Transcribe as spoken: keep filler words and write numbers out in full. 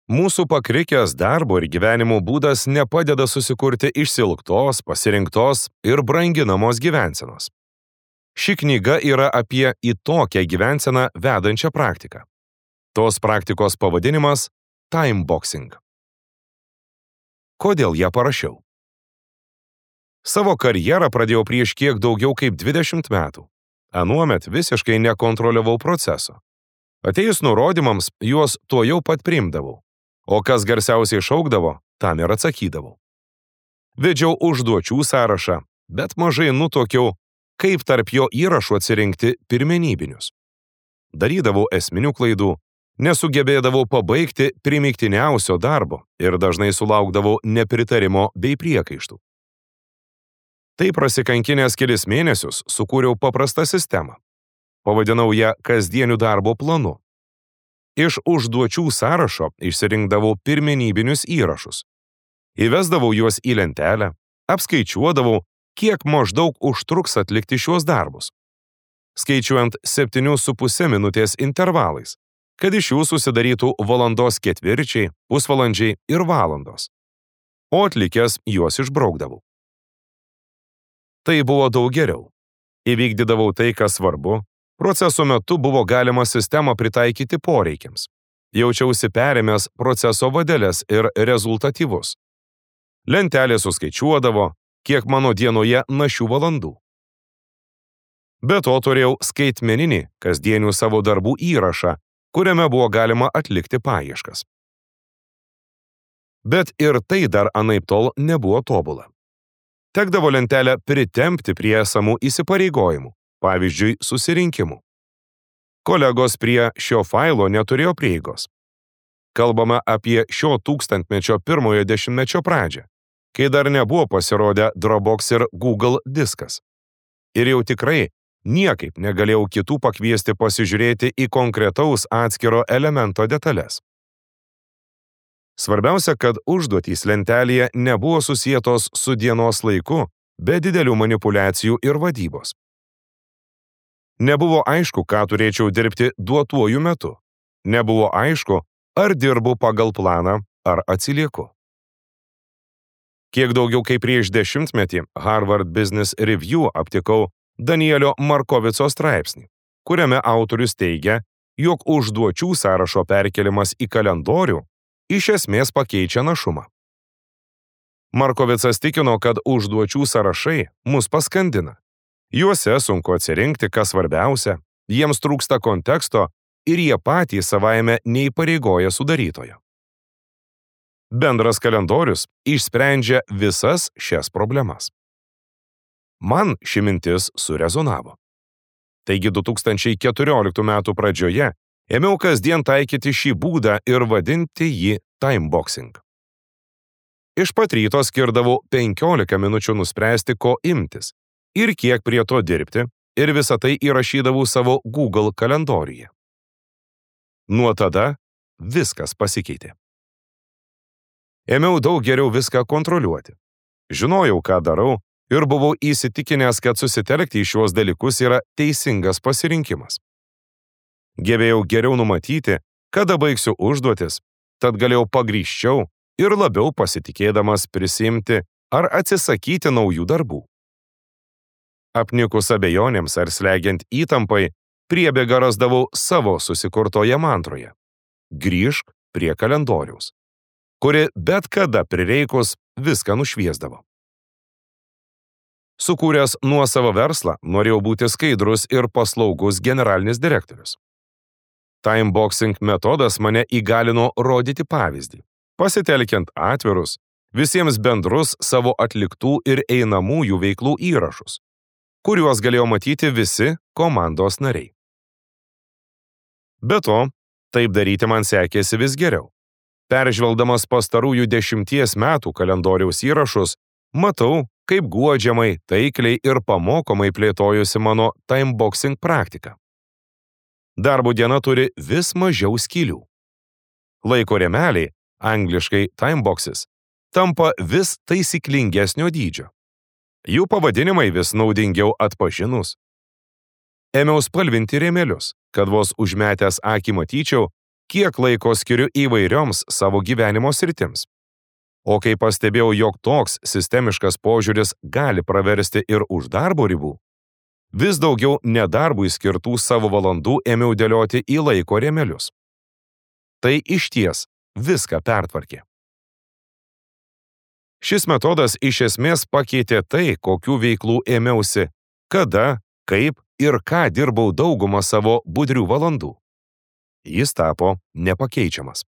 Mūsų pakrikęs darbo ir gyvenimo būdas nepadeda susikurti išsilgtos, pasirinktos ir branginamos gyvensenos. Ši knyga yra apie į tokią gyvenseną vedančią praktiką. Tos praktikos pavadinimas – timeboxing. Kodėl ją parašiau? Savo karjerą pradėjau prieš kiek daugiau kaip dvidešimt metų. Anuomet visiškai nekontroliavau proceso. Atėjus nurodymams, juos tuojau pat priimdavau. O kas garsiausiai šaukdavo, tam ir atsakydavau. Vedžiau užduočių sąrašą, bet mažai nutuokiau, kaip tarp jo įrašų atsirinkti pirmenybinius. Darydavau esminių klaidų, nesugebėdavau pabaigti primygtiniausio darbo ir dažnai sulaukdavau nepritarimo bei priekaištų. Tai prasikankinęs kelis mėnesius sukūriau paprastą sistemą. Pavadinau ją kasdienių darbo planu. Iš užduočių sąrašo išsirinkdavau pirmenybinius įrašus. Įvesdavau juos į lentelę, apskaičiuodavau, kiek maždaug užtruks atlikti šiuos darbus. Skaičiuojant septynių su puse minutės intervalais, kad iš jų susidarytų valandos ketvirčiai, pusvalandžiai ir valandos. O atlikęs juos išbraukdavau. Tai buvo daug geriau. Įvykdydavau tai, kas svarbu. Proceso metu buvo galima sistemą pritaikyti poreikiams. Jaučiausi perėmęs proceso vadeles ir rezultatyvus. Lentelė suskaičiuodavo, kiek mano dienoje našių valandų. Be to turėjau skaitmeninį kasdienių savo darbų įrašą, kuriame buvo galima atlikti paieškas. Bet ir tai dar anaiptol nebuvo tobula. Tekdavo lentelę pritempti prie esamų įsipareigojimų, pavyzdžiui, susirinkimų. Kolegos prie šio failo neturėjo prieigos. Kalbame apie šio tūkstantmečio pirmojo dešimtmečio pradžią, kai dar nebuvo pasirodę Dropbox ir Google diskas. Ir jau tikrai niekaip negalėjau kitų pakviesti pasižiūrėti į konkretaus atskiro elemento detalės. Svarbiausia, kad užduotys lentelėje nebuvo susietos su dienos laiku, be didelių manipulacijų ir vadybos. Nebuvo aišku, ką turėčiau dirbti duotuoju metu. Nebuvo aišku, ar dirbu pagal planą, ar atsilieku. Kiek daugiau kaip prieš dešimtmetį Harvard Business Review aptikau Danielio Markovico straipsnį, kuriame autorius teigia, jog užduočių sąrašo perkelimas į kalendorių iš esmės pakeičia našumą. Markovicas tikino, kad užduočių sąrašai mus paskandina. Juose sunku atsirinkti, kas svarbiausia, jiems trūksta konteksto ir jie patys savaime neįpareigoja sudarytojo. Bendras kalendorius išsprendžia visas šias problemas. Man ši mintis surezonavo. Taigi du tūkstančiai keturioliktų metų pradžioje ėmiau kasdien taikyti šį būdą ir vadinti jį timeboxing. Iš pat ryto skirdavau penkiolika minučių nuspręsti, ko imtis ir kiek prie to dirbti, ir visą tai įrašydavau savo Google kalendoriuje. Nuo tada viskas pasikeitė. Ėmiau daug geriau viską kontroliuoti. Žinojau, ką darau, ir buvau įsitikinęs, kad susitelkti į šiuos dalykus yra teisingas pasirinkimas. Gebėjau geriau numatyti, kada baigsiu užduotis, tad galėjau pagrįsčiau ir labiau pasitikėdamas prisimti ar atsisakyti naujų darbų. Apnikus abejonėms ar slegiant įtampai, priebėgą rasdavau savo susikurtoje mantroje. Grįžk prie kalendoriaus, kuri bet kada prireikus viską nušviesdavo. Sukūręs nuosavą verslą, norėjau būti skaidrus ir paslaugus generalinis direktorius. Timeboxing metodas mane įgalino rodyti pavyzdį, pasitelkiant atvirus, visiems bendrus savo atliktų ir einamųjų veiklų įrašus, kuriuos galėjo matyti visi komandos nariai. Be to, taip daryti man sekėsi vis geriau. Peržvelgdamas pastarųjų dešimties metų kalendoriaus įrašus, matau, kaip guodžiamai, taikliai ir pamokomai plėtojusi mano timeboxing praktika. Darbo diena turi vis mažiau skylių. Laiko rėmeliai, angliškai timeboxes, tampa vis taisyklingesnio dydžio. Jų pavadinimai vis naudingiau atpažinus. Ėmiau spalvinti rėmelius, kad vos užmetęs akį matyčiau, kiek laiko skiriu įvairioms savo gyvenimo sritims. O kai pastebėjau, jog toks sistemiškas požiūris gali praversti ir už darbo ribų, vis daugiau nedarbui skirtų savo valandų ėmiau dėlioti į laiko rėmelius. Tai išties viską pertvarkė. Šis metodas iš esmės pakeitė tai, kokių veiklų ėmiausi, kada, kaip ir ką dirbau daugumą savo budrių valandų. Jis tapo nepakeičiamas.